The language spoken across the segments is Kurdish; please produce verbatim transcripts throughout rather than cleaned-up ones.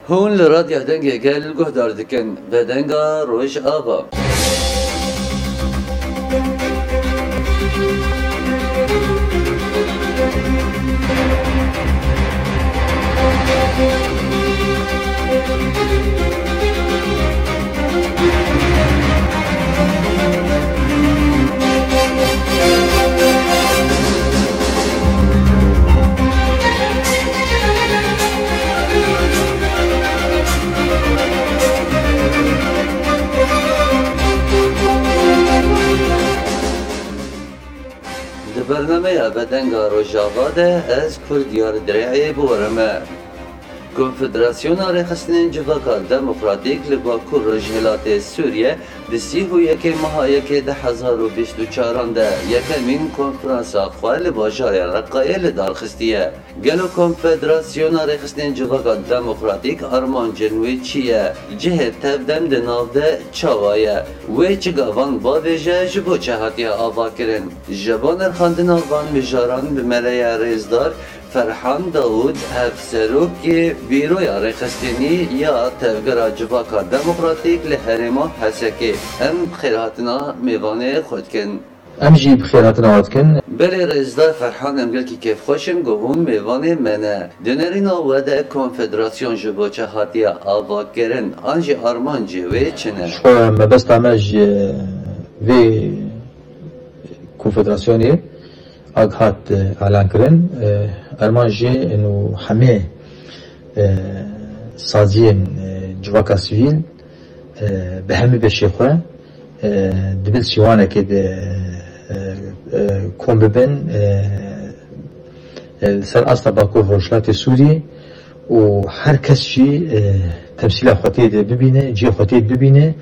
Hûn li Radya Dengê Gel guhdar dikin, Vedenga Rojava. Di bernameya Vedenga Rojava de ez Kurdiyar Dirê'ê bi we re me. Konfederasyona Rêxistinên Civaka Demokratîk li Bakur Rojhilatê Sûriye di sî û yekê meha yekê du hezar û bîst û çaran de yekemîn konferansa xwe li bajarê Reqayê li dar xistiye. Gelo Konfederasyona Rêxistinên Civaka Demokratîk armancên wê çi ye? Cihê tevdem di nav de çawa ye? Wê çi gavan bavêje, ji bo çi hatiye avakirin? Ji bo nirxandina van mijaran bi me re ye rêzdar Ferhan Dawûd, hevserokê Bîroya Rêxistinî ya Tevgera Civaka Demokratîk li herêma Hesekê. Em bi xêrhatina mêvanê xwe dikin. Em jî bi xêrhatina we dikin. Belê rêzdar Ferhan, em gelkî kêfxweş in ku hûn mêvanê me ne. Di nerîna we de konfederasyon ji bo çi hatiye avakirin, an jî armancê wê çi ne? Ji xwe mebesta me ji vê konfederasyonê a hat, e, elan kirin, e, armanc jê û hemê, e, saziyên, e, civaka sivîl, e, bi hemî beşê xwe, e, di bin sîwanekê de, e, e, kom bibin, e, e, li ser asta Bakur Rojhilatê Sûrî û her kes jî, e, temsîla xwe tê de bibîne, cihê xwe tê de bibîne,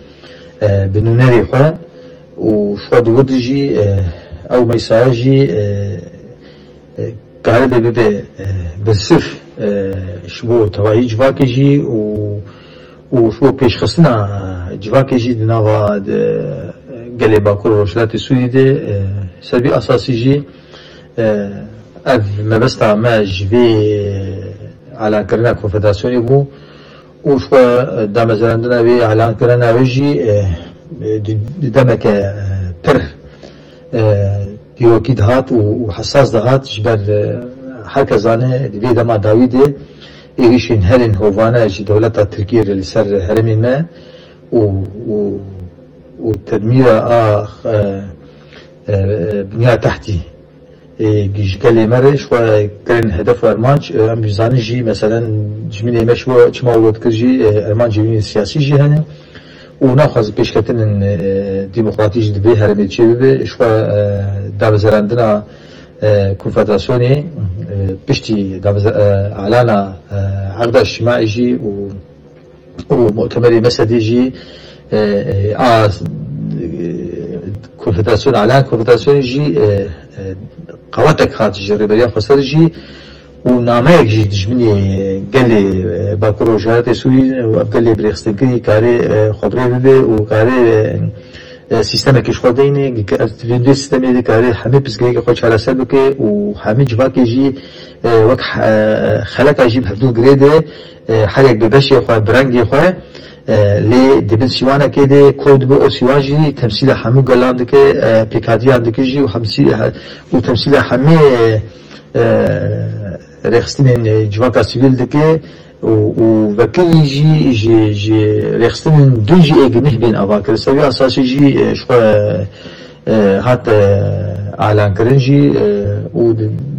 e, bi nûnerê xwe û ji xwe di wir de jî, e, ew meysaya jî, e, e, karibe bibe, e, birsif, e, ji bo tevahî civakê jî û, û ji bo pêşxistina civakê jî di nava, di, gelê Bakur û Rojhilatê Sûrî de, e, ser vî esasî jî, e, ev mebesta me ji vê elankirina konfederasyonê bû. Û ji xwe damezrandina wê, elan kirina wê jî, e, e, di, di demeke, e, pir, e, dîrokî dihat û, û hesas dihat, ji ber, e, her kes zane di vê dema dawî de êrîşên herên hovane ji dewleta Tirkiyê re li ser herêmên me û, û, û tedmîra a, e, e, binya tehtî ê, ji gelê me re ji xwe kirin hedef û armanc, e, em dizanin jî, meselen, dijminê me ji bo çima we dikir jî, e, armancê wî siyasî jî hene û naxwazin pêşketinên, e, demokratîk jî di vê herêmê çê bibe. Ji xwe, e, damezrandina, e, konfederasyonê, e, piştî dameze-, e, elana, e, Aqda Îctimaî jî û û mutemerê Mesedê jî, e, e, a, e, konfederasyona, elan konfederasyonê jî, e, e, qewetek hat ji Rêberiya Xweser jî û nameyek jî dijminê gelê, e, Bakur Rojhilatê Sûrî û ev gelê birêxistinkirî karê, e, xwe bi rê bibe û karê, e, e, sîstemekê ji xwe deyne, ke ez di vê sîstemê de karê hemî pirsgirêkê xwe çareser bike û hemî civakê jî, e, wek, e, xeleka jî bi hevdû girê de, e, her yek bi beşê xwe, bi rengê xwe, e, lê di bin sîwanekê de kod bi û sîwan jî temsîla hemû gelan dike, e, pêkhatîyan dike jî û hemsî-, he-, û temsîla hemî, e, e, rêxistinên, e, civaka sivîl dike. û, û vekirî jî ji, ji rêxistinên din jî ê gineh bên avakirin. Ser vî esasî jî, e, ji xwe, e, hat, e, elankirin jî, e, û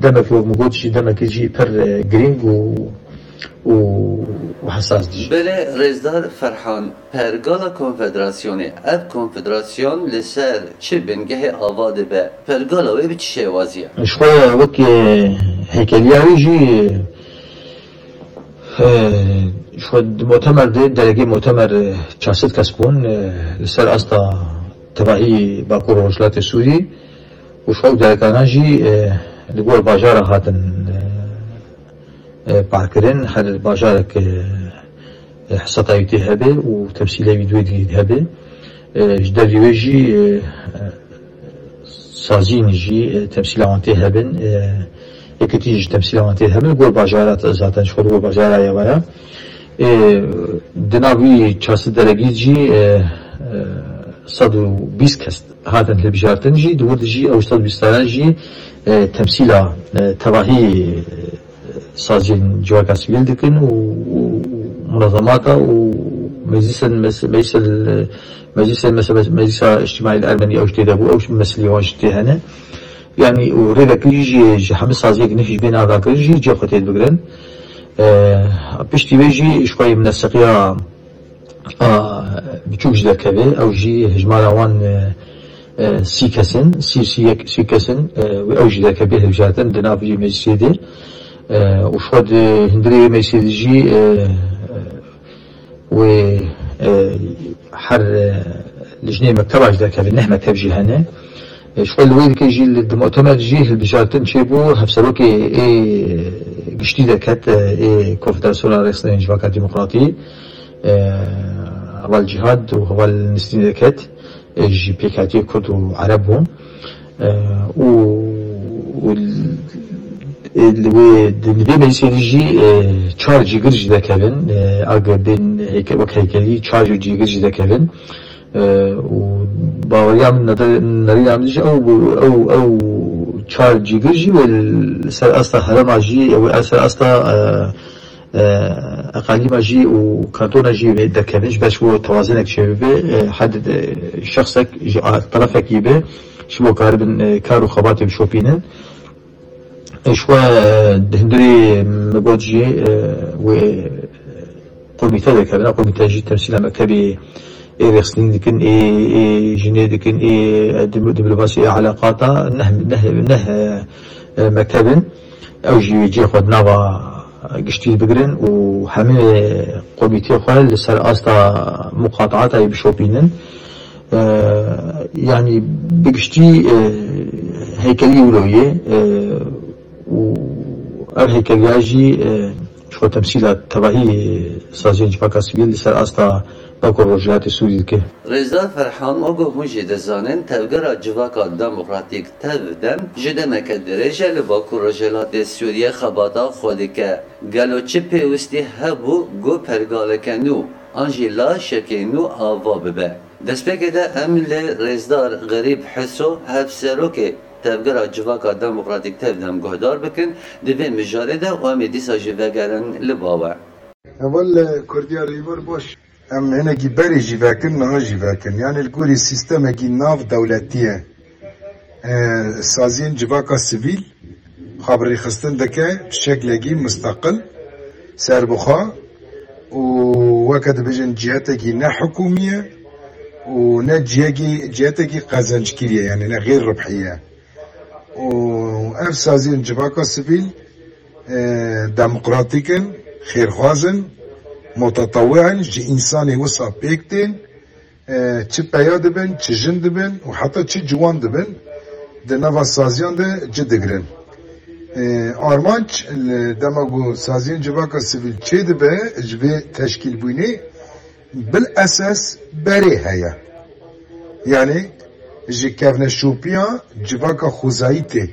demek wek min got jî demekî jî pir, e, girîng û, û, û hesas dijî. Belê rêzdar Ferhan, pergala konfederasyonê, ev konfederasyon li ser çi bingehê ava dibe? Pergala wê bi çi şêwazî ye? Ji xwe wek, e, heykeliya wî jî, e, ji xwe di mutemer de, delegê mutemer, e, çar sed kes bûn, e, li ser asta tevahî Bakur û Rojhilatê Sûrî û ji xwe ew delegana jî, e, li gor bajara hatin, e, e, parkirin, her bajarek, e, e, hesata wî tê hebe û temsîlê wî di wê dî hebe. E, ji dervî wê jî, e, e, sazîn jî, e, temsîla wan tê hebin, e, yekitî jî temsîla wan tê hebin, li gor bajara zaten ji xwe li gor bajara ye waya. Ê, di nav wî çar sed deregî jî, e, e, sed û bîst kes hatin hilbijartin jî, di wir de jî ew sed û bîst sala jî, e, temsîla, e, tevahî, e, saziyên civaka sivîl dikin û, û, û munezemata û meclîsên mes-, meclîsên, e, meclîsên mes-, mes-, meclîsa îctimaî li Ermenî ew jî tê de bû, ew jî meselî wan jî tê hene. Yanî û rêvekirî jî ji hemî saziyek nifî ji bê navdakir jî cê xwe tê digirin. E, piştî wê jî ji xwe yê mineseqiya a biçûk jî derkeve. Ew jî hejmara wan, e, e, sî kes in, sî, sî yek, sî kes in, e, wê ew jî derkeve hilbijartin di nav vî meclisê de. E, û ji xwe di hundirê wê meclisê de jî, e, e, wê, e, her, e, lijneyê mekteba jî derkeve, neh mekteb jî hene. E, ji xwe li wê dike jî li, di mutemer jî hilbijartin çêbû, hevserokê ê giştî derket, e, ê Konfederasyona Rêxistinên Civaka Demokratî, e, heval Cîhad û heval Nistîn derket, e, ji pêkhatiyê Kurd û Ereb bûn. E, û, û l-, e, li wê, di, li vê meclisê de jî, e, çar cîgir jî dekevin, e, ag bên heyke-, wek heykelî çar jî cîgir jî dekevin. E, û baweriya min, nede-, nerîna min jî ew bû, ew, ew çar cîgir jî wê li ser asta herêma jî, wê ser asta, e, e, eqalîma jî û kantona jî wê derkevin, ji ber ji bo tewazinek çêbibe, e, hed, e, şexsek ji a-, terefekî be, ji bo karibin, e, kar û xebatê bişopînin. E, ji xwe, e, di hundirê min got jî, e, wê komîte derkevin, komîte jî temsîla mektebê ê rêxistinî dikin, ê, ê jinê dikin, ê, e, di, di mirovasî ê eleqata neh, neh, neh, e, e, mekteb in. Ew jî wê cihê xwe di nava giştî bigirin û hemî komîtê xwe li ser asta muqataata yê bişopînin. E, yanî bi giştî, e, heykelî wilo ye, e, û ev heykeliya jî, e, ji xwe temsîla tevahî saziyên civaka sivîl li ser asta Bakur Rojhilatê Sûrî dike. Rêzdar Ferhan, wekî hûn jî dizanin, Tevgera Civaka Demokratîk, TEV-DEM, ji demeke dirêj e li Bakur Rojhilatê Sûriyê xebata xwe dike. Gelo çi pêwistî hebû ku pergaleke nû an jî laşekê nû ava bibe? Destpêkê de em li Rêzdar Xerîb Hiso, hevserokê Tevgera Civaka Demokratîk, TEV-DEM, guhdar bikin di vê mijarê de û em ê dîsa jî vegerin li ba we. Heval, e, Kurdiya Rêber baş. Em hinekî berê jî vekin, niha jî vekin. Yanî li gorî sîstemekî nav dewletî ye. E, saziyên civaka sivîl xwe bi rêxistin dike bi şeklekî misteqil, serbixwe û weke dibêjin cihetekî ne hikûmî ye û ne cihekî, cihetekî qezenckirî ye, yanî ne xêr ribhî ye. Û ev saziyên civaka sivîl, e, demokratîk in, xêrxwaz in, mutetewî in, ji însanê wisa pêk tên, e, çi peya dibin, çi jin dibin û heta çi ciwan dibin, di nava saziyan de ci digirin. E, armanc li dema ku saziyên civaka sivîl çêdibe, ji vê teşkîlbûnê bil esas berê heye. Yanî ji kevneşopiya civaka xwezayî tê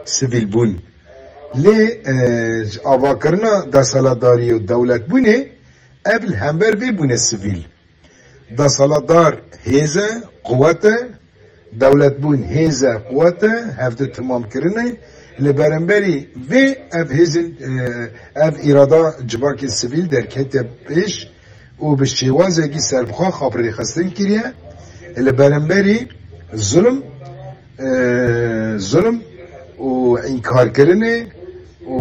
sivîlbûn. Lê, e, ji avakirina desthilatdariyê û dewletbûnê ev li hember vê bûne sivîl. Desthilatdar hêz e, quwet e, dewletbûn hêz e, quwet e, hevdi timam kirine. Li beramberî vê ev hêzin, e, ev îrada civakên sivîl derketiye pêş û bi şêwazekî serbixwe xwe bi rêxistin kiriye. Li beramberî zulm, e, zulm û înkarkirinê û,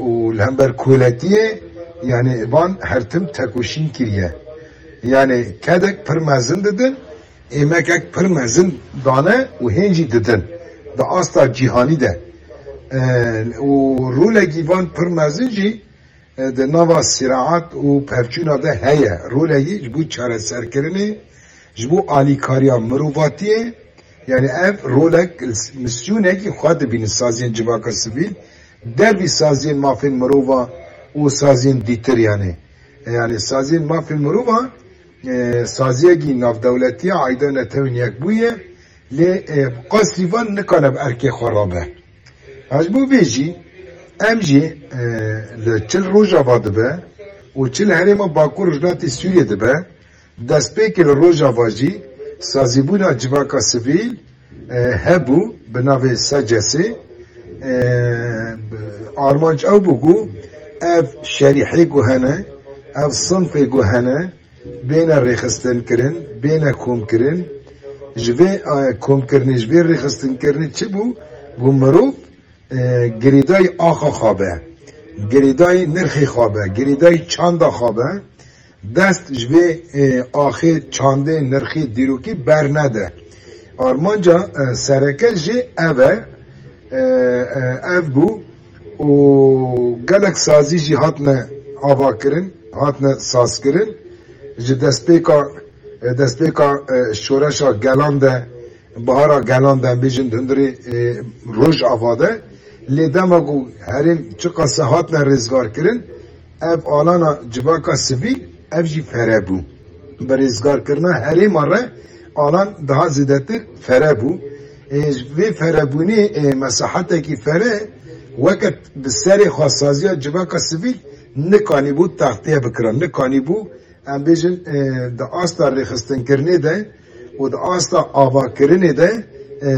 û li hember koletiyê, yanî van her tim tekoşîn kiriye. Yanî kedek pir mezin didin, êmekek pir mezin dane û hên jî didin. Di asta cîhanî de, e, û rolekî van pir mezin jî, e, di nava sîraet û pevçûna de heye. Rolekî ji bo çareserkirinê, ji bo alîkariya mirovatiyê, yanî ev rolek, misyonekî xwe dibînin saziyên civaka sivîl, dervî saziyên mafên mirova û saziyên dîtir, yanî, yanî saziyên mafên mirova, e, saziyekî navdewletî ye, aîda Netewên Yekbûyî ye, lê, e, qasî van nikane bi erkê xwe rabe. Ha, ji bo vê jî, em jî, e, li çil roja va dibe, Û çi li herêma Bakur Rojhilatê Sûriyê dibe, destpêkê li Rojava jî sazîbûna civaka sivîl, e, hebû bi navê S C S'ê. E, armanc ew bû ku ev şerîhê ku hene, ev sinfê ku hene, bêne rêxistinkirin, bêne komkirin. Ji vê, e, komkirinê, ji vê rêxistinkirinê çi bû? Ku mirov, e, girêdayî axa xwe be, girêdayî nirxê xwe be, girêdayî çanda xwe be, dest ji vê, e, axê, çandê, nirxê, dîrokî bernede. Armanca, e, sereke jî ev e, e, e, ev bû û gelek sazî jî hatine avakirin, hatine sazkirin. Ji destpêka, e, destpêka, e, şoreşa gelan de, bihara gelan de, em bêjin di hundirê, e, Rojava de. Lê dema ku herêm çiqas e hatine rêzgarkirin, ev alana civaka sivîl, ev jî fere bû. Bi rêzgarkirina herêma re alan daha zêdetir fere bû. Ê, ji vê ferebûnê, ê, mesahetekî fere weke bi serê xwe saziya civaka sivîl nikanîbû textiye bikira, nikanîbû, em bêjin, e, di asta rêxistinkirinê de û di asta avakirinê de, e,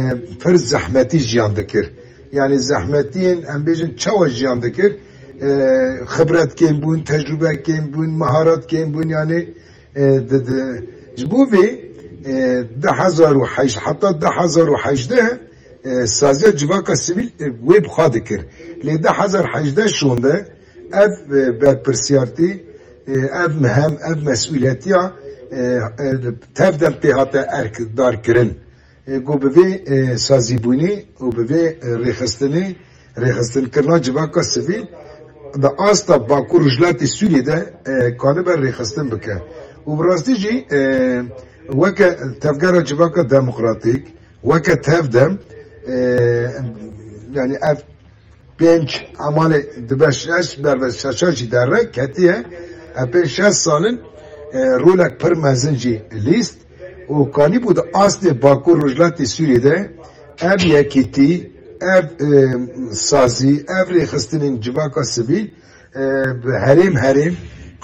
pir zehmetî jiyan dikir. Yanî zehmetiyên, em bêjin, çawa jiyan dikir? E, xibret kêm bûn, tecrûbe kêm bûn, meharet kêm bûn, yanî, e, di, di, ji bo vê, e, du hezar û heşt, heta du hezar û hejdeh, e, saziya civaka sivîl, e, wê bi xwe dikir. Lê du hezar hejdeh şonde ev, e, berpirsiyartî, e, ev mihem, ev mesûliyetiya, e, e, tevdem pê hate erkdarkirin. E, ku bi vê, e, sazîbûnê û bi vê, e, rêxistinê, rêxistinkirina civaka sivîl di asta Bakur Rojhilatê Sûriyê de, e, kanibe rêxistin bike. Û bi rastî jî, e, weke tevgera civaka demokratîk, weke tevdem, e, yanî ev pênc emalê dibe şeş, berve şeşa jî derre ketiye. Ev pênc şeş sal in, e, rolek pir mezin jî lîst û kanîbû di astê Bakur Rojhilatê Sûriyê de ev yekîtî, ev, e, sazî, ev rêxistinên civaka sivîl, e, bi herêm herêm,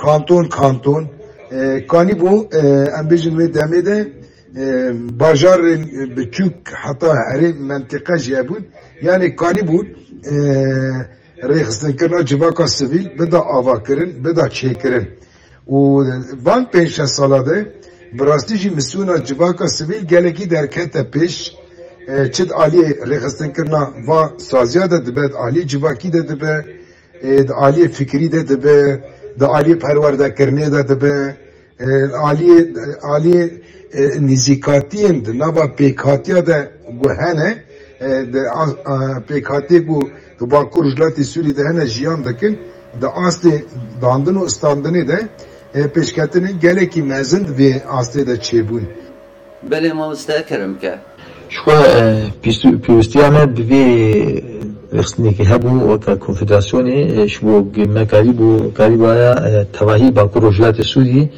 kanton kanton, e, kanîbû, e, em bêjin wê demê de, e, bajarên biçûk heta herê mentiqe jî hebûn. Yanî kanîbûn, e, rêxistinkirina civaka sivîl bida avakirin, bida çêkirin. Û van pênc şeş sala de bi rastî jî misûna civaka sivîl gelekî derkete pêş. E, çi di aliyê rêxistinkirina va saziya de dibe, di aliyê civakî de dibe, e, di aliyê fikrî de dibe, di aliyê perwerdekirinê de dibe, e, aliyê, aliyê, e, nîzîkatiyên di nava pêkhatiya de ku hene, e, di a, a, pêkhatiyê ku di Bakur Rojhilatê Sûriyê de hene jiyan dikin, di astê dandin û standinê de, e, pêşketinên gelekî mezin di vê astê de çêbûn. Belê mamoste, kerem ke. Ji xwe, e, pîstu-, pîrostiya me bi vê rêxistinekê hebû weke konfederasyonê, e, ji bo ge-, me karîbû, karîbaya, e, tevahî Bakur Rojhilatê Sûrî,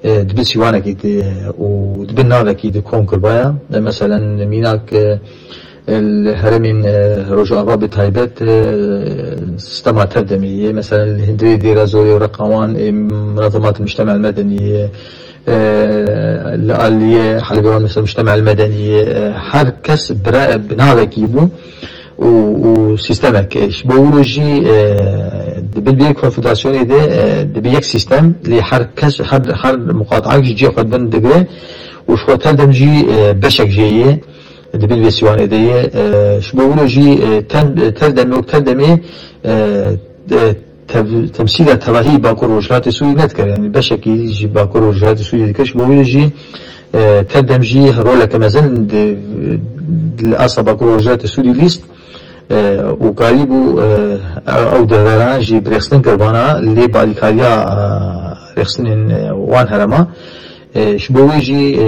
e, di bin sîwanekî de, e, û di bin navekî de kom kirbaya. E, meselen, mînak, e, e, li herêmên, e, Rojava bi taybet, e, sistema tevdemê ye. Meselen, li hundirê Dêra Zorê û Reqawan, e, Munazemat Mujtema Medenî ye. E, li aliyê Helebê wan, mesela, Mujtema Medenî, e, her kes bire-, bi navekî bû û, û sîstemek. Ji bo wilo jî, e, di bin vê konfederasyonê de, e, dibe yek sîstem, lê her kes, her, her muqateak ji cihê xwe bin digire û ji xwe tevdem jî, e, beşek jê ye, di bin vê sîwanê de ye. E, ji bo wilo jî, e, tev-, tevdemê û tevdemê, e, e, tev-, temsîla tevahî Bakur Rojhilatê Sûrî nedikir. Yanî beşekî jî Bakur Rojhilatê Sûrî dikir. Ji bo wê jî, e, tevdem jî roleke mezin di, di li asta Bakur Rojhilatê Sûrî lîst, e, û karîbû, e, ew deveran jî bi rêxistin kir vana lê bi alîkariya, e, rêxistinên, e, wan herema. E, ji bo wê jî, e,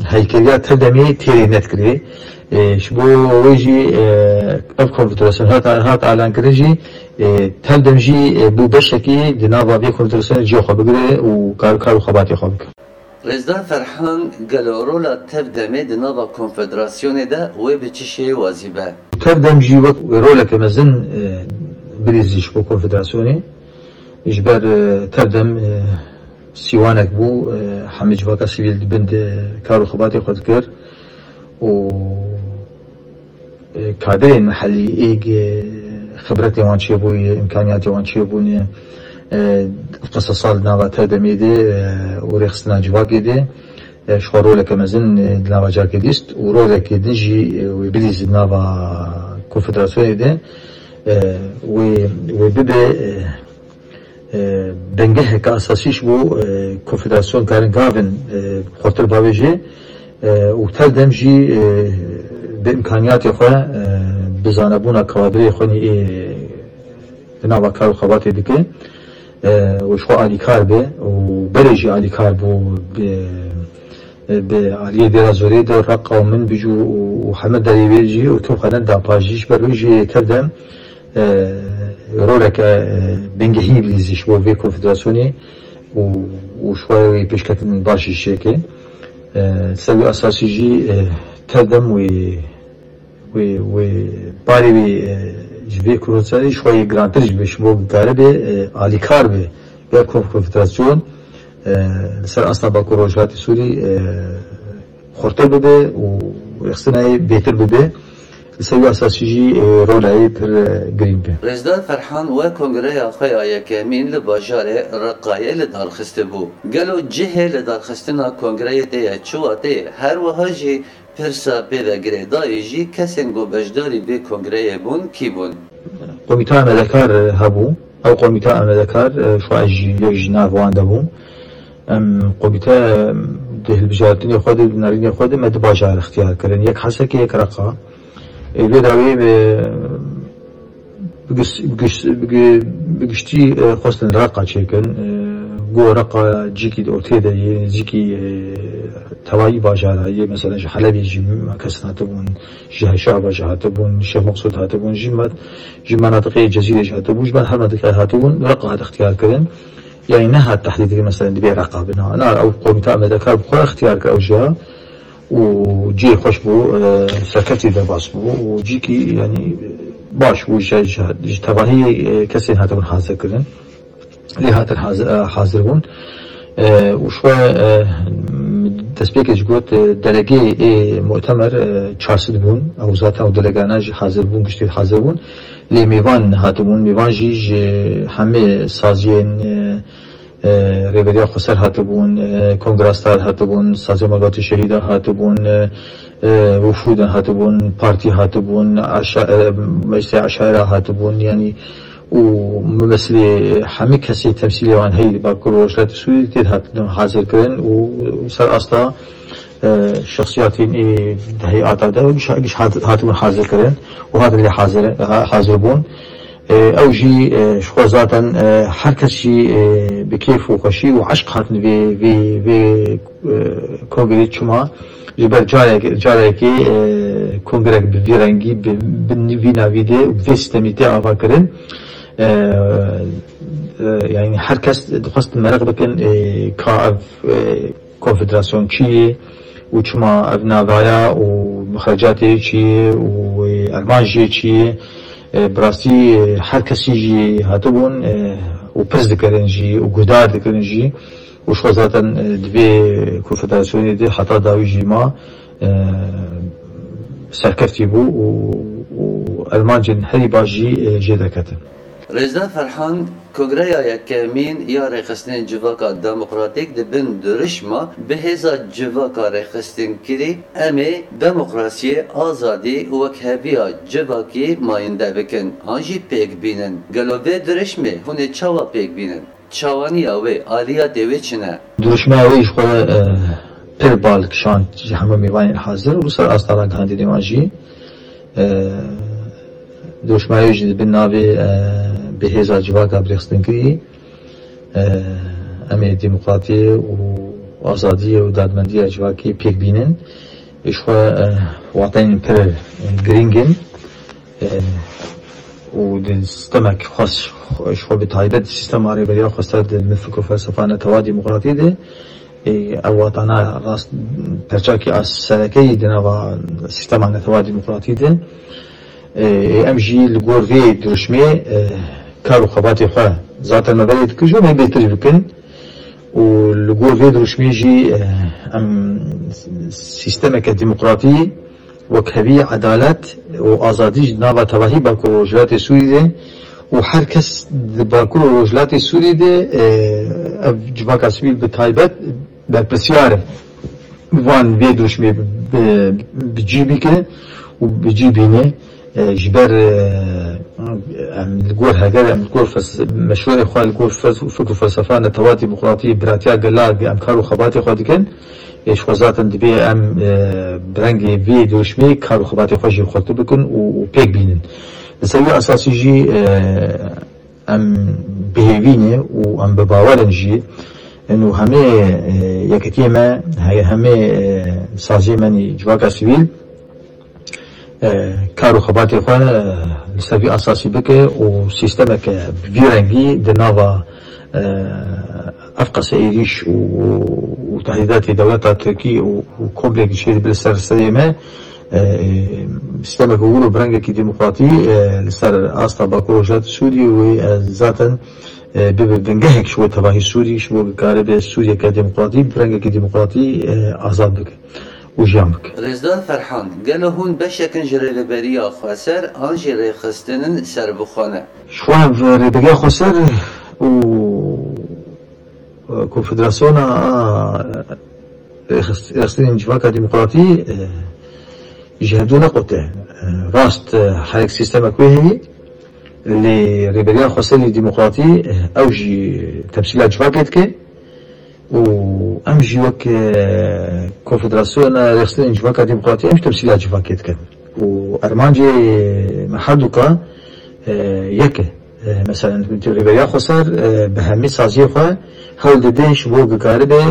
heykeliya tevdemê têrê nedikirê. E, ji bo wê jî, e, ev konfederasyon hat, hat elankirin jî, e, tevdem jî, e, bû beşekî di nava vê konfederasyonê ciya xwe bigire û kar, kar û xebatê xwe bike. Rêzdar Ferhan, gelo rola tevdemê di nava konfederasyonê de wê bi çi şêwazî be? Tevdem jî wek roleke mezin, e, birîzî ji bo konfederasyonê. Ji ber, e, tevdem, e, sîwanek bû, e, hemî civaka sivîl di bin de kar û xebatê xwe dikir û, e, kadirên mehellî êg, e, xibretê wan çêbûye, îmkaniyatê wan çêbûne, e, qisasa li nava tevdemê de, e, û rêxistina civakê de, e, ji xwe roleke mezin, e, di nava civakê dîst û rolekê din jî, e, wê bidîzî di nava konfederasyonê de, e, wê, wê bibe, e, e, bingeheke esasî ji bo, e, konfederasyon karin gavin, e, xurtir bavêje, e, û tevdem jî, e, bi îmkaniyatê xwe, e, bi zanebûna kadirê xwe nî ê di nava kar û xebatê dike, e, û ji xwe alîkar be û berê jî alîkar bû bi bi aliyê Dêra Zorê de Reqa û Minbicû û, û heme derê wê jî û tim xwe neda paş jî ji ber wê jî tevdem, e, roleke, e, bingehîn bidîzî ji bo vê konfederasyonê û, û ji xwe wê pêşketin baş jî çêke. E, ser wî esasî jî, e, tevdem wê wê, wê barê wê, e, ji vê kurûnserî ji xwe yê girantir jî be, ji bo bikare be, e, alîkar be, ber konfederasyon, e, li ser asta Bakur Rojhilatê Sûrî, e, xurtir bibe û rêxistina yê bêtir bibe. Li ser wî esasî jî, e, rola yê pir, e, girîng be. Rêzdar Ferhan we kongreya xwe ya yekemîn li bajarê Reqayê li dar xistibû. Gelo cihê li darxistina kongreyê tê ye? Çi watê ye? Her wiha jî pirsa pê ve girêdayî jî kesên ku beşdarî vê kongreyê bûn, kî bûn? Komîta amadekar hebû. Ew komîta amadekar, e, xwe ez jî yek ji nav wan de bûm. Em komîte, em, di hilbijartinê xwe de, di nerînê xwe de me du bajar ixtiyar kirin. Yek Hesekê, yek Reqa. Ê, lê dawê, e, bi giş-, bi giş-, bi gi-, bi giştî, e, xwestin Reqa çêkin. E, go Reqa cîkî di ortê de yê, nêzîkî, e, tevayî bajara yê, mesela ji Helebê jî kes hatibûn, ji Şehba jî hatibûn, Şêx Meqsûd hatibûn, ji me-, ji menatiqê Cezîrê jî hatibûn, ji me her menatiqê hatibûn, Reqa hat ixtiyar kirin. Yani nehat tehdîd kirin, mesela, dibê Reqa bina. Na, ew komîta amadekar bi xwe ixtiyar kir ew jiya. û cihê xweş bû, e, serkeftî derbas bû û cîkî, yanî, baş bû, ji, ji, ji tevahî, e, kesên hatibûn hazir kirin. Lê hatin hazir, e, hazir bûn. E, û ji xwe, e, destpêkê jî got, e, delegê ê mutemer, e, çar sed bûn. Ew zaten ew delegana jî hazir bûn, giştî hazir bûn. Lê mêvan hatibûn. Mêvan jî ji hemê saziyên, e, e, Rêveriya Xweser hatibûn, e, Kongra Star hatibûn, Saziya Malbatê Şehîda hatibûn, e, e, wifûdan hatibûn, partî hatibûn, eşa-, e, meclisê eşaira hatibûn, yanî û mumesilê hemî kesê temsîlê wan heyî li Bakur Rojhilatê Sûriyê tê hatibûn hazir kirin û ser asta, e, şexsiyatên ê di heyata de giş, giş hat-, hatibûn hazir kirin û hatin lê hazir, ha-, hazir bûn. E, ew jî, e, ji xwe zaten, e, her kes jî, e, bi kêf û xweşî û eşq hatin vê, vê, vê, e, kongrê çima. Ji ber carek, carekê, e, kongrek bi vî rengî, bi, bi vî navî de û bi vê sîstemî tê ava kirin. E, e, yani her kes dixwest mereq bikin, e, ka ev, e, konfederasyon çi ye û çima ev navaya û mixrecatê çi ye û, e, armanc jê çi ye. E, bi rastî, e, her kesî jî hatibûn, e, û pirs dikirin jî û guhdar dikirin jî û ji xwe zaten, e, di vê konfederasyonê de heta dawî jî ma, e, serkeftî bû û, û armancên herî baş jî, e, jê derketin. Rêzdar Ferhan, Kongreya yekemîn ya Rêxistinên Civaka Demokratîk di bin dirişma bi hêza civaka rêxistinkirî, em ê demokrasiyê, azadî û wekheviya civakî mayînde bikin an jî pêk bînin. Gelo vê dirişmê hûn ê çawa pêk bînin? Çawaniya wê, aliyatê wê çi ne? Dirişma wê ji xwe, e, pir bal kişand ji hemû mêvanên hazir û ser asta ragihandinê wan jî. E, dirişma wê jî di bin navê, e, bi hêza civaka bi rêxistinkirî, e, em ê demokratiyê û azadiyê û dadmendiya civakê pêk bînin. Ê ji xwe, e, wateyên pir girîng in. E, û di sistemek xwes, ji xwe bi taybet di sistema rêveriya xwestir di min fikr û felsefa netewa demokratî de, e, ev watana rast perçakî a sereke yî di nava sistema netewa demokratî de. E, e, em jî li gor vê dirişmê, e, Kar û xebatê xwe zaten me berê dikir, ji me bêtir bikin û li gor vê dirûşmê jî, eh, em sîstemeke demokratî wekhevî, edalet û azadî ji nava tevahî Bakur û Rojhilatê Sûrî de û her kes di Bakur û Rojhilatê Sûrî de, eh, ev civaka sivîl bi taybet berpirsiyar e. Van vê dirûşmê bi, bi cî bike û bi cî bîne. E, ji ber, e, em li gor heger, em li gor fes-, meşwerê xwe, li gor fes-, fikr û felsefa netewa demokratî, biratiya gela em kar û xebatê xwe dikin. Ê, ji xwe zaten dibê em, e, bi rengê vê dirûşmê kar û xebatê xwe jî xurtir bikin û, û pêk bînin. Li ser wî esasî jî, e, em bi hêvî ne û em bi bawer in jî. Û hemê, e, yekitiyê me, he-, hemê, e, saziyê me nî civaka sivîl, e, kar û xebatê xwe, e, li ser vî esasî bike û sîstemeke bi vî rengî di nava, e, ev qese êrîş û, û tehdîdatê dewleta Tirkî û, û komplekî çêdibe li ser serê me, e, e, sîstemeke wir û bi rengekî demokratî, e, li ser asta Bakur Rojhilatê Sûrî wê, e, zaten, e, bibe bingehek ji bo tevahî Sûrî, ji bo karibe Sûriyeke demokratî, bi rengekî demokratî, e, azad bike û jiyan bike. Rêzdar Ferhan, gelo hûn beşek in ji Rêveberiya Xweser an jî rêxistinên serbixwe ne? Ji xwe ev Rêveberiya Xweser û, e, Konfederasyona, e, Rêxist-, Rêxistinên Civaka Demokratî, e, ji hevdû neqote. E, rast, e, her yek sîstemek wê heye, lê Rêveberiya Xweserê Demokratî, e, ew jî temsîla civakê dike. Û em jî wek, e, Konfederasyona Rêxistinên Civaka Demokratî em jî temsîla civakê dikin. Û armancê me herdûka, e, yek e. E, mesela, Rêveberiya Xweser, e, bi hemî saziyê xwe hewl dide ji bo ku karibe,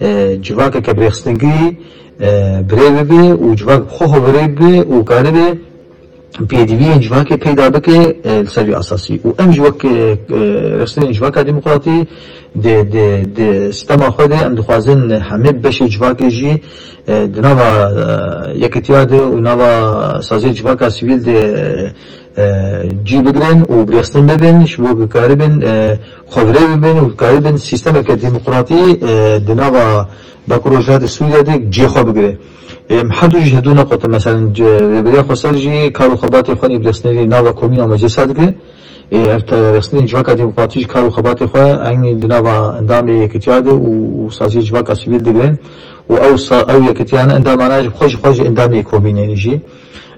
e, civakeke bi rêxistingî, e, bi rê bibe û civak bi xwe xwe bi rê bibe û karibe pêdiviyên civakê peyda bike, e, li ser vî esasî. Û em jî wek, e, e, rêxistinên civaka demokratî di, di, di sîstema xwe de em dixwazin hemî beşê civakê jî, e, di nava, e, yekitiya de û nava saziyê civaka sivîl de, e, cî bigirin û bi rêxistin bibin, ji bo ku karibin, e, xwe bi rê bibin û karibin sîstemeke demokratî, e, di nava Bakur Rojhilatê Sûriye de cihê xwe bigire. Em her du jî hevdu neqotin, meselen, ce-, Rêveberiya Xweser jî kar û xebatê xwe nî bi rêxistinê nava komîna meclisa dike. Ê, ev te-, rêxistinên civaka demokratî jî kar û xebatê xwe eynî di nava endamê yekitiya de û, û saziyê civaka sivîl digirin. Û ew sa-, ew yekitiyane endamana ji xwe, ji xwe jî endamê komînê jî.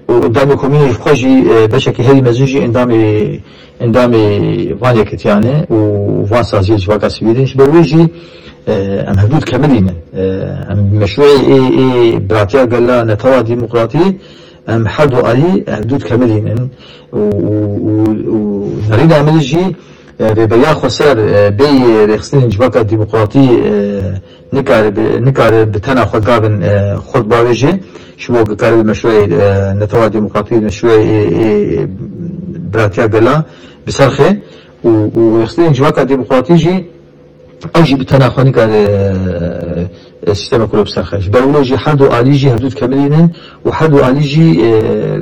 Û endamê komînê ji xwe jî, e, beşekî herî mezin jî endamê endamê van yekitiyan e û van saziyê civaka sivîl in. Ji ber wê jî, e, em hevdû dikemilînin. E, em meşrûyê ê, ê biratiya gela netewa demokratî, em her du alî hevdû dikemilînin. Û, û, û, û nerîna min jî, e, Rêveberiya Xweser, e, bêyî rêxistinên civaka demokratî, e, nikare bi, nikare bi tena xwe gavin, e, xurt bavêje. Ji bo ku kare bi meşrûyê, e, netewa demokratî, meşrûyê, e, e, biratiya gela bi ser xe û, û rêxistinên civaka demokratî jî ew jî bi tena xwe nikare, e, e, sîstemek wilo bi ser xe. Ji ber wilo jî her du alî jî hevdû dikemilînin û her du alî jî, e,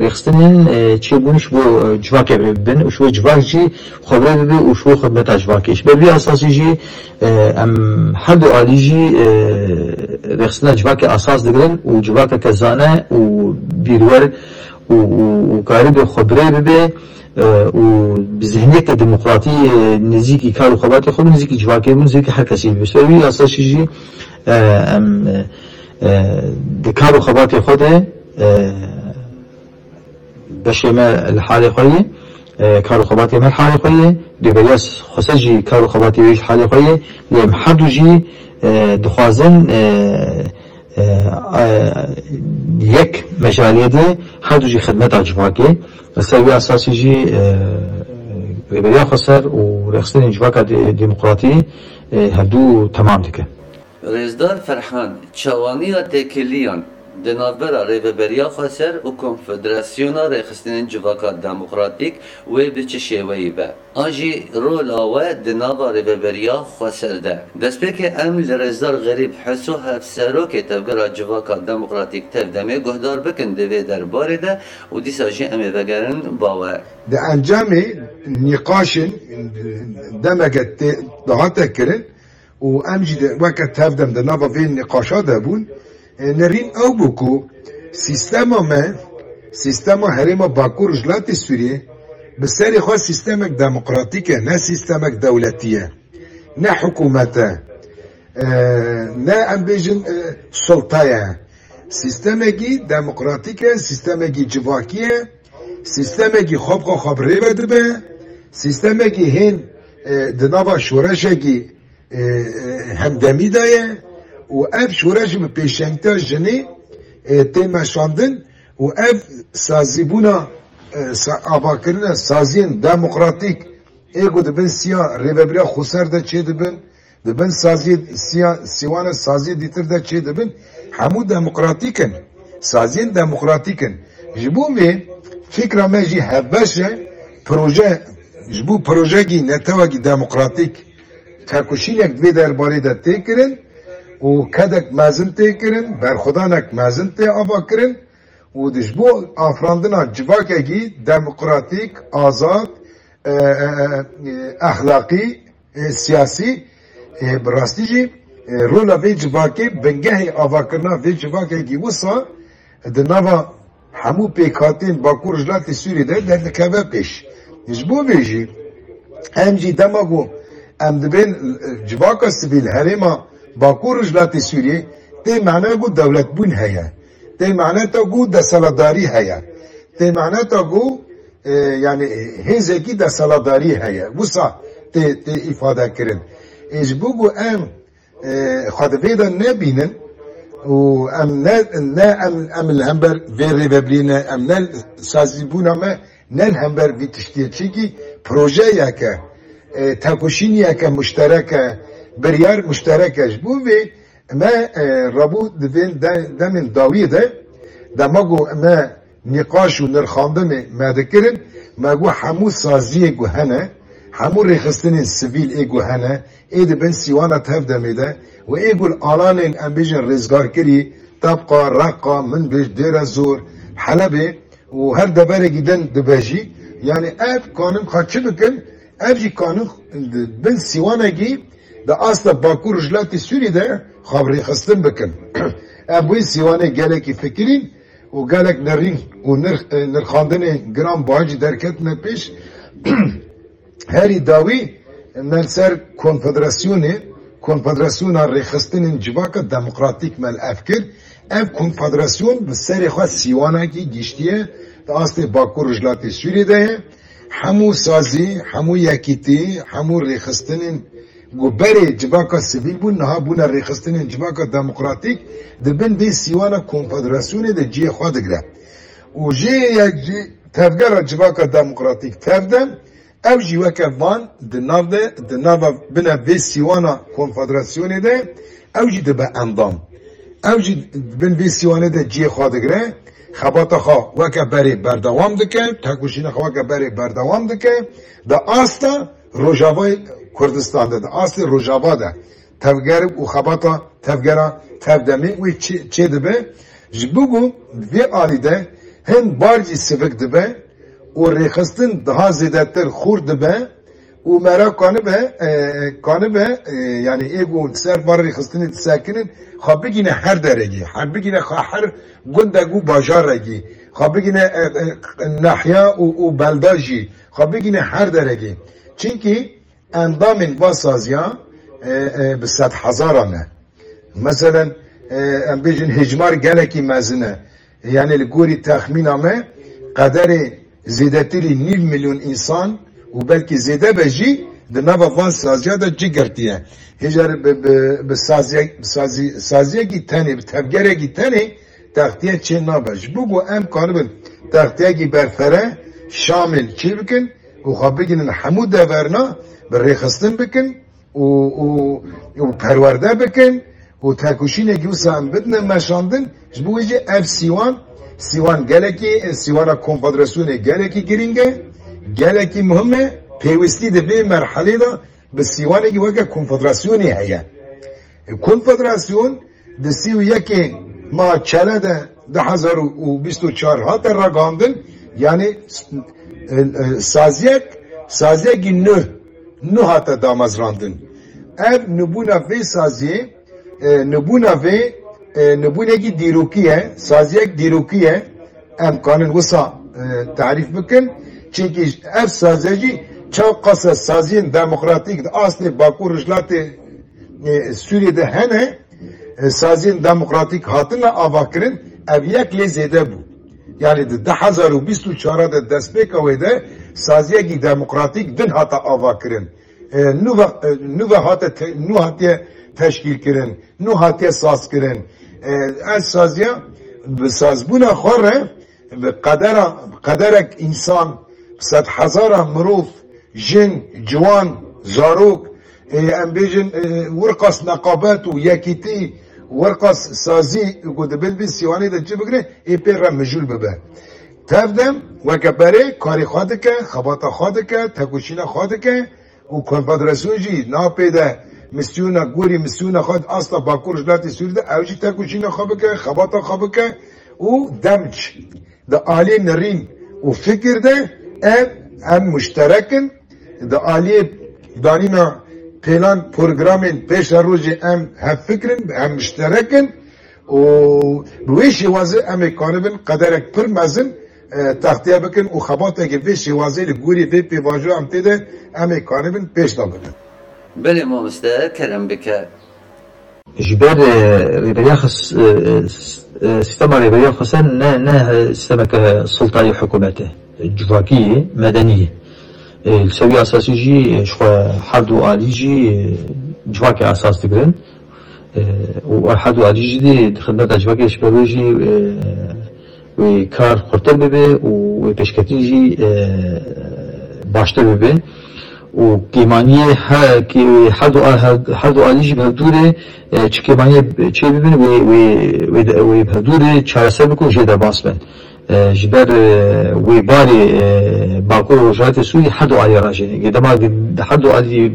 rêxistinên, e, çêbûn ji bo, e, civakê bibin û ji bo civak jî xwe bi rê bibe û ji bo xidmeta civakê. Ji ber vî esasî jî, e, em her du alî jî, e, rêxistina civakê esas digirin û civakeke zane û bîrwer û, û, û karibe xwe bi rê bibe, e, û bi zihniyeke demokratî, e, nêzîkî kar û xebatê xwe, nêzîkî civakê bû, nêzîkî her kesî bû. Ser wî esasî jî, e, em, e, e, di kar û xebatê xwe de, e, beşê me li halê xwe ye, e, kar û xebatê me li halê xwe ye, Rêveberiya Xweser jî kar û xebatê wê ji halê xwe ye, lê em her du jî, e, dixwazin, e, e, e, yek mejalê de her du jî xidmeta civakê. Li ser wî esasî jî, e, Rêveberiya Xweser û rêxistinên civaka de-, demokratî, e, hevdû temam dike. Rêzdar Ferhan, çawaniya têkiliyan Di navbera Rêveberiya Xweser û Konfederasyona Rêxistinên Civaka Demokratîk wê bi çi şêweyî be? An jî rola we di nava Rêveberiya Xweser de? Destpêkê em li Rêzdar Xerîb Heso, hevserokê Tevgera Civaka Demokratîk Tevdemê guhdar bikin di vê derbarê de û dîsa jî em ê vegerin ba we. Di encamê nîqaşên demeke tê dihate kirin û em jî de weke Tevdem di nava vê nîqaşa de bûn. E, nerîn ew bû ku sîstema me, sîstema herêma Bakur Rojhilatê Sûriyê bi serê xwe sîstemek demokratîk e, ne sîstemek dewletî ye, ne hikûmet e, e, ne em bêjin, e, sulta ye. Sîstemekî demokratîk e, sîstemekî civakî ye, sîstemekî xwe bi xwe xwe bi rê ve dibe, sîstemekî hên, e, di nava şoreşekî, e, e, hemdemî de ye û ev şoreş bi pêşengtiya jinê, e, tê meşandin û ev sazîbûna, e, sa-, avakirina saziyên demokratîk ê ku di bin siya Rêveberiya Xweser de çêdibin, di bin saziyê siya, sîwana saziyê dîtir de çêdibin, hemû demokratîk in. Saziyên demokratîk in. Ji bo vê fikra me jî hevbeş e, proje, ji bo projekî netewekî demokratîk tekoşînek di vê derbarê de tê kirin û kedek mezin tê kirin, berxwedanek mezin tê ava kirin û di ji bo afirandina civakekî demokratîk, azad, e, e, e, exlaqî, e, siyasî, e, bi rastî jî, e, rola vê civakê, bingehê avakirina vê civakekî wisa di nava hemû pêkhatên Bakur Rojhilatê Sûriyê de derdikeve pêş. Ji bo vê jî em jî dema ku em dibên, e, civaka sivîl herêma Bakur Rojhilatê Sûriyê tê mane ku dewletbûn heye. Tê mane ta ku desthilatdarî heye. Tê mane ta ku e, yani, e, hêzekî desthilatdarî heye. Wisa tê, tê îfade kirin. Ê, ji bo ku em, e, xwe di vê de nebînin û em ne, ne em, em li hember vê rêvebirî ne, em ne sazîbûna me ne li hember vî tiştiyê. Çimkî projeyeke, e, tekoşîniyeke muşterek e, biryar muşterek e. Ji bo vê Me, e, rabû di vê de-, demên dawiyê de, dema ku me nîqaş û nirxandinê me dikirin, me got hemû saziyê ku hene, hemû rêxistinên sivîl ê ku hene, ê di bin sîwana Tevdemê de û ê ku li alanên, em bêjin, rêzgarkirî, Tebqa, Reqa, Minbij, Dêre Zor, Helebê, û her deverekî din dibe jî. Yani ev kanin xwe çi bikin? Ev jî kanin di bin sîwanekî di asta Bakur Rojhilatê Sûriyê de xwe bi rêxistin bikin. Ev wê sîwanê gelekî fikirîn û gelek nerîn û nirx-, e, nirxandinê giran buha jî derketine pêş. Herî dawî me li ser konfederasyonê, Konfederasyona Rêxistinên Civaka Demokratîk me li ev kir. Ev konfederasyon bi serê xwe sîwanekî giştiye di astê Bakur Rojhilatê Sûriyê de ye. Hemû sazî, hemû yekîtî, hemû rêxistinên ku berê civaka sivîl bûn, niha bûne rêxistinên civaka demokratîk, di bin vê sîwana konfederasyonê de cihê xwe digre. Û jê yek jî tevgera civaka demokratîk, Tevdem, ew jî weke van di nav de, di nava bine vê sîwana konfederasyonê de, ew jî dibe endam. Ew jî di bin vê sîwanê de cihê xwe digire, xebata xwe weke berê berdewam dike, tekoşîna xwe weke berê berdewam dike, di asta Rojavayê Kurdistan de, di astê Rojava de tevger û xebata tevgera Tevdemê wê çê, çê dibe. Ji bo ku vê alî de hin bar jî sivik dibe û rêxistin daha zêdetir xurt dibe û mera kanibe, e, kanibe, e, yani ê ku li ser van rêxistinê disekinin, xwe bigîne her derekî, her bigîne xwe her gundek û bajarekî, xwe bigîne, e, e, nahya û, û belda jî, xwe bigîne her derekî. Çimkî endamên va saziya, e, e, bi sedhezaran e. Meselen, e, em bêjin hêjmar gelekî mezin e. Yani li gorî texmîna me qederê zêdetirî nîv milyon însan û belkî zêde be jî di nava van saziya de cih girtiye. Hêjar bi, bi, bi saziye-, bi sazî-, saziyekî tenê, bi tevgerekî tenê textiye çê nabe. Ji bo ku em karibin textiyekî berfere, şamil çê bikin û xwe bigihînin hemû deverna bi rêxistin bikin û, û, û perwerde bikin û tekoşînekî wisa em bidine meşandin, ji bo wê jî ev sîwan, sîwan gelekî, sîwana konfederasyonê gelekî girîng e, gelekî muhim e, pêwîstî di vê merhelê de bi sîwanekî weke konfederasyonê heye. Konfederasyon di sî û yekê meha Çele de du hezar û bîst û çar hate ragihandin, yanî, e, e, saziyek, saziyekî nû, nû hate damezrandin. Ev nûbûna vê saziyê, e, nûbûna vê, e, nûbûnekî dîrokî ye, saziyek dîrokî ye, em kanin wisa, e, tarîf bikin. Çimkî ev saziya jî çaw qasa saziyên demokratîk di astê Bakur Rojhilatê, e, Sûriyê de hene, e, saziyên demokratîk hatine avakirin, ev yek lê zêde bû. Yanî di du hezar û bîst û çar de destpêka wê de saziyekî demokratîk din hate avakirin. E, nû ve, e, nû ve hate te-, nû hatiye teşkîl kirin, nû hatiye saz kirin. E, ev saziya bi sazbûna xwe re bi qedera, qederek însan, bi sedhezara mirov, jin, ciwan, zarok, e, em bêjin, e, wirqas neqabet û yekîtî, wirqas sazî ku di bin vî sîwanê de cî bigire, ê pê re mijûl bibe. Tev de weke berê karê xwe dike, xebata xwe dike, tekoşîna xwe dike û konfederasyon jî napê de misyona gorî misyona xwe di asta Bakur Rojhilatê Sûrî de ew jî tekoşîna xwe bike, xebata xwe bike û demc. Di aliyê nerîn û fikir de ev em muşterek in. Di aliyê danîna pêlan programên pêşerojê em hevfikir in, em muşterek in û bi wê şêwazê em ê karibin qederek pir mezin, e, textiye bikin û xebateke vê şêwazê li gorî vê pêvajoya em tê de em ê karibin pêş de bibin. Belê mamoste, kerem bike. Ji ber, e, rêberiya xis-, e, e, s-, e, sîstema rêberiya xweser ne, ne, e, sîstemeke sultayî hikûmetê, civakî yê, medenî yê. E, li ser wî esasî jî, e, ji xwe her du alî jî, e, civakê esas digirin. E, û her du alî jî dê di xidmeta civakê, ji ber wê jî, e, wê kar xurtir bibe û wê pêşketin jî, e, baştir bibe. Û kêmaniyê he-, kê-, her du a-, her, her du alî jî bi hevdû re, e, çi kêmaniyê çê bibin, wê, wê, wê de, wê bi hevdû re çareser bikin, jê derbas bin. E, ji ber, e, wê barê, e, Bakur û Rojhilatê Sûrî her du alî rajêne. Gê dema di her du alî,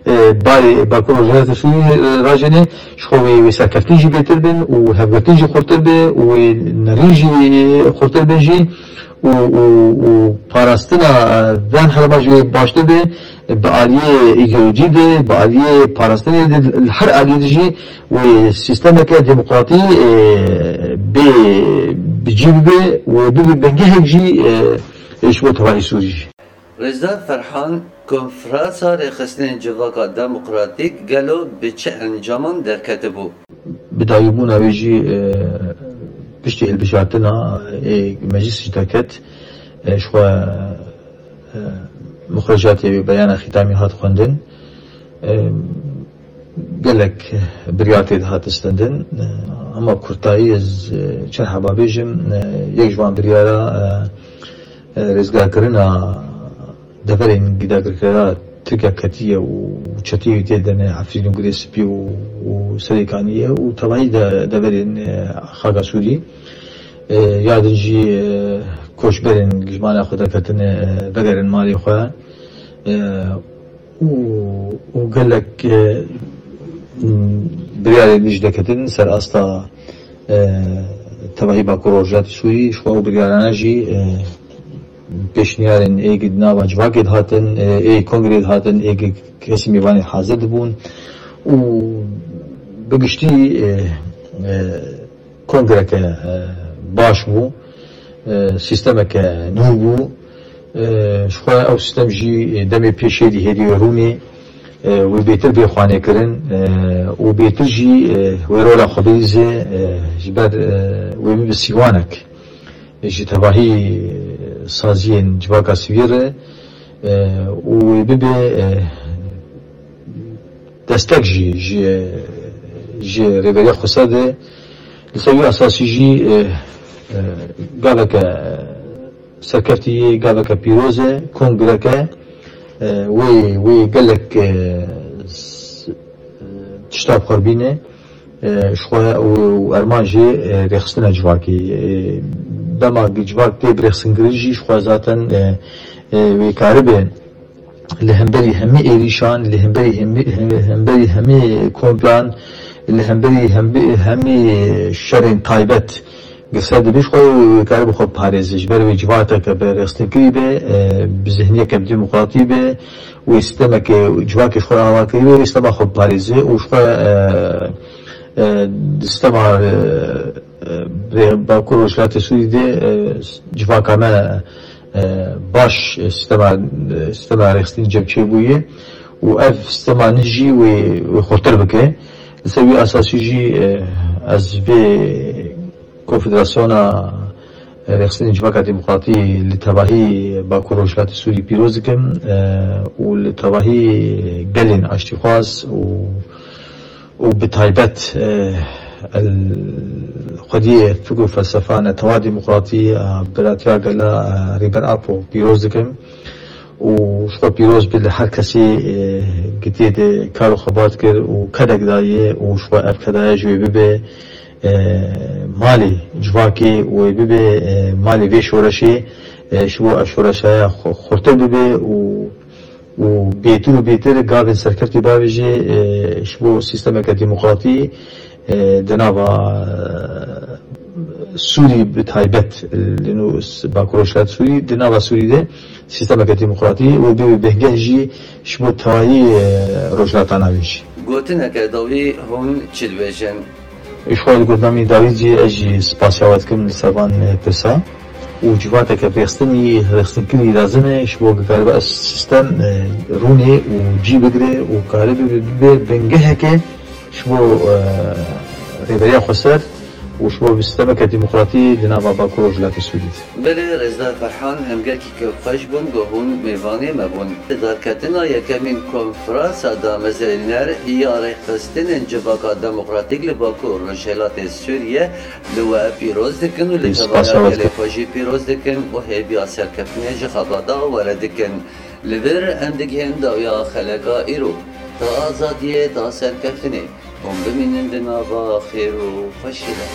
e, barê Bakur û Rojhilatê Sûrî, e, rajêne, ji xwe wê, wê serkeftin jî bêtir bin û hevgirtin jî xurtir be û wê nerîn jî xurtir bin jî û, û, û parastina, e, van herêma jî wê baştir be, bi aliyê îdeolojî de, bi aliyê parastinê de, li her aliyê de jî wê sîstemeke demokratî, e, bê bi cî bibe û bibe bingehek jî, e, ji bo tevahî Sûrî jî. Rêzdar Ferhan, Konferansa Rêxistinên Civaka Demokratîk gelo bi çi encaman derketibû? Bi dayîbûna wê jî, e, piştî hilbijartina, e, meclis jî derket, e, ji xwe, e, muxricatê wê beyana xîtamî hat xwendin. E, gelek biryar tê de hat stendin. E, hema kurtayî ez, e, çend heba bêjim. E, yek ji van biryara, e, e, rêzgarkirina deverên gidagirkera Tirkiye ketiye û çeteyê tê de ne Efrîn û Girê Spî û, û Serêkanî ye û tevahî de deverên, e, xaka Sûrî. E, ya din jî, e, koçberên ji mala xwe derketine, e, vegerin malê xwe. E, û, û gelek, e, biryarên din jî derketin ser asta, e, tevahî Bakur Rojhilatê Sûrî, ji xwe ew biryarane jî, e, pêşniyarên ê di nava civakê de hatin, e, ê kongrê de hatin, ê kesî mêvanê hazir dibûn û bi giştî, e, e, kongreke, e, baş bû, e, sîstemeke nû bû. E, ji xwe ew sîstem jî, e, demê pêşê dî hêdî wê rûnê, e, wê bêtir bê xwanêkirin, e, û bêtir jî, e, wê rola xwe bilîze, e, ji ber, e, wê bibe sîwanek ji tevahî saziyên civaka sivîl re, e, û wê bibe, e, destek jî ji, ji Rêveriya Xweser de. Li ser wî esasî jî, e, e, gaveke serkeftî yê, gaveke pîroz e, kongreke, e, wê, wê gelek, e, s-, e, tişta bi xwe re bîne. e, ji xwe û, û erman jî, e, rêxistina civakê. E, dema civak tê birêxistinkirin jî ji xwe zaten, e, e, wê karibe li hemberî hemî êrîşan, li hemberî hemî, hemberî hemî komplan, li hemberî hembi-, hemî şerên taybet girse dibe, ji xwe wê karibe xwe biparêze. Ji ber wê civakeke bi rêxistin kirî be, e, bi zihniyeke bi demokratî be, wê sîstemeke civakê ji xwe re ava kirî be, wê sîstema xwe biparêze û ji xwe, e, e, di sîstema, e, e, rê-, Bakur Rojhilatê Sûrî de, e, civaka me, e, baş, e, sîstema, e, sîstema rêxistinî cem çêbûye û ev sîstema nû jî wê, wê xurtir bike. Li ser wî esasî jî, e, ez vê Konfederasyona Rêxistinên Civaka Demokratî li tevahî Bakur Rojhilatê Sûrî pîroz dikim, e, û li tevahî gelên aştîxwaz û, û bi taybet, e, el xwediyê fikr û felsefa netewa demokratî, e, biratiya gela, e, Rêber Apo pîroz dikim. Û ji xwe pîroz be li her kesê, e, gitê de kar û xebat kir û kedek daye û ji xwe ev kedaya ji wê bibe, e, malê civakê û wê bibe, e, malê vê şoreşê, e, ji bo ev şoreşaya xu-, xurtir bibe û, û bêtir û bêtir gavên serkeftî bavêje, e, ji bo sîstemeke demokratî, e, di nava, e, Sûrî bi taybet, e, li nû s-, Bakur Rojhilat Sûrî, di nava Sûrî de sîstemeke demokratî û bi bingeh jî ji bo tevayî, e, Rojhilata Navîn jî. Gotineke dawî hûn çi dibêjin? Ji xwe li gotinamî dawî jî ez jî spasiya we dikim li ser van, e, pirsa û civateke rêxistinî, rêxistinkirinî lazim e ji bo ku karibe ev sîstem, e, rûnê û cî bigire û karibe bibe bingeheke ji bo, e, Rêberiya Xweser û ji bo sîstemeke demokratî di nava Bakur Rojhilatê Sûrî de. Belê, Rêzdar Ferhan, hemgekî kêfxweş bûn ku hûn mêvanê me bûn. Li darketina yekemîn konferansa damezrêner ya rêxistinên Civaka Demokratîk li Bakur Rojhilatê Sûriye li we pîroz dikin û li tevaya gelê xwe jî pîroz dikin û hêviya serkeftinê ji xebata we re dikin. Li vir em digihên dawiya xeleka îro. Ta azadiyê, ta serkeftinê. Hûn bimînin di nava xêr û xweşiyê de.